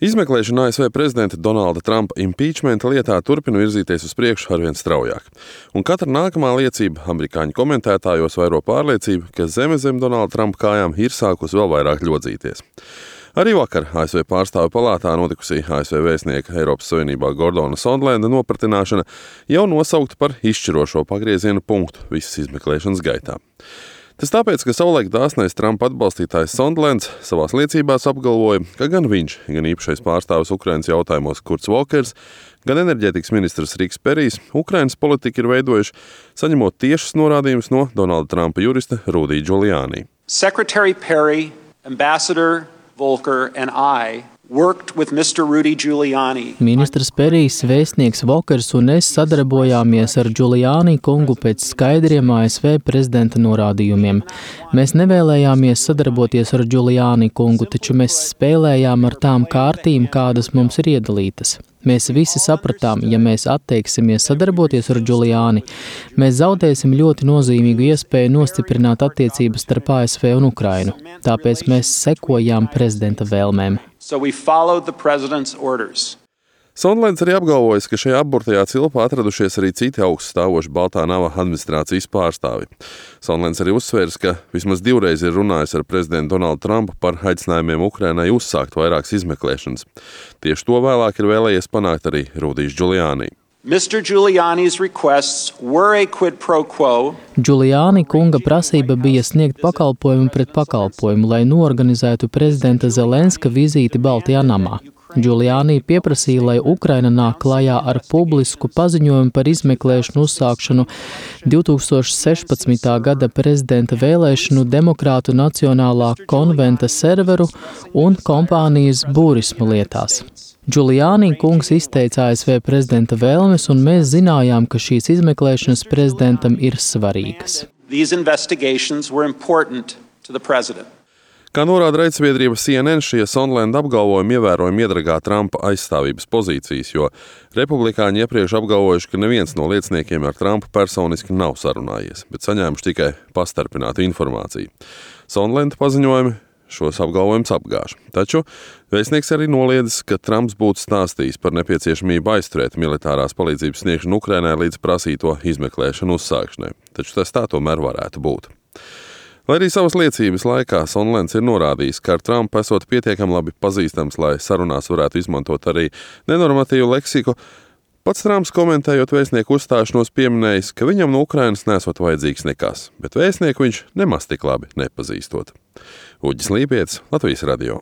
Izmeklēšana ASV prezidenta Donalda Trumpa impeachmenta lietā turpina virzīties uz priekšu arvien straujāk. Un katra nākamā liecība amerikāņu komentētājos vairo pārliecību, ka zeme zem Donalda Trumpa kājām ir sākusi vēl vairāk ļodzīties. Arī vakar ASV pārstāvju palātā notikusī ASV vēstnieka Eiropas Savienībā Gordona Sondlenda nopratināšana jau nosaukta par izšķirošo pagrieziena punktu visas izmeklēšanas gaitā. Tas tāpēc, ka savulaik dāsnais Trumpa atbalstītājs Sondlends savās liecībās apgalvoja, ka gan viņš, gan īpašais pārstāvis Ukrainas jautājumos Kurts Volkers, gan enerģētikas ministrs Riks Perijs Ukrainas politiku ir veidojuši, saņemot tiešas norādījumus no Donalda Trumpa jurista Rudy Giuliani. Secretary Perry, Ambassador Volker and I worked with Mr. Rudy Giuliani. Ministrs Perijs, vēstnieks Volkers un es sadarbojāmies ar Giuliani kungu pēc skaidriem ASV prezidenta norādījumiem. Mēs nevēlējāmies sadarboties ar Giuliani kungu, taču mēs spēlējām ar tām kārtīm, kādas mums ir iedalītas. Mēs visi sapratām, ja mēs atteiksimies sadarboties ar Giuliani, mēs zaudēsim ļoti nozīmīgu iespēju nostiprināt attiecības starp ASV un Ukrainu. Tāpēc mēs sekojām prezidenta vēlmēm. Sondlends arī apgalvojis, ka šajā apburtajā cilpā atradušies arī citi augststāvoši Baltā nava administrācijas pārstāvi. Sondlends arī uzsvērs, ka vismaz divreiz ir runājis ar prezidentu Donaldu Trumpu par aicinājumiem Ukrainai uzsākt vairākas izmeklēšanas. Tieši to vēlāk ir vēlējies panākt arī Rudijs Giuliani. Mr. Giuliani's requests were a quid pro quo. Giuliani kunga prasība bija sniegt pakalpojumu pret pakalpojumu, lai norganizētu prezidenta Zelenska vizīti Baltajā namā. Giuliani pieprasīja, lai Ukraina nāk klajā ar publisku paziņojumu par izmeklēšanu uzsākšanu 2016. gada prezidenta vēlēšanu Demokrātu Nacionālā konventa serveru un kompānijas Burisma lietās. Giuliani kungs izteica ASV prezidenta vēlmes, un mēs zinājām, ka šīs izmeklēšanas prezidentam ir svarīgas. These investigations were important to the president. Kā norāda raidsabiedrība CNN, šie Sondlenda apgalvojumi ievērojami iedragā Trumpa aizstāvības pozīcijas, jo republikāņi iepriekš apgalvojuši, ka neviens no lieciniekiem ar Trumpu personiski nav sarunājies, bet saņēmuši tikai pastarpinātu informāciju. Sondlenda paziņojumi šos apgalvojumus apgāž. Taču vēstnieks arī noliedzis, ka Trumps būtu stāstījis par nepieciešamību aizturēt militārās palīdzības sniegšanu Ukrainai līdz prasīto izmeklēšanu uzsākšanai. Taču tas tā tomēr varētu būt. Lai arī savas liecības laikā Sondlends ir norādījis, ka ar Trumpu esot pietiekami labi pazīstams, lai sarunās varētu izmantot arī nenormatīvu leksiku, pats Trumps komentējot vēstnieku uzstāšanos pieminējis, ka viņam no Ukrainas nesot vajadzīgs nekas, bet vēstnieku viņš nemaz tik labi nepazīstot. Uģis Līpietis, Latvijas radio.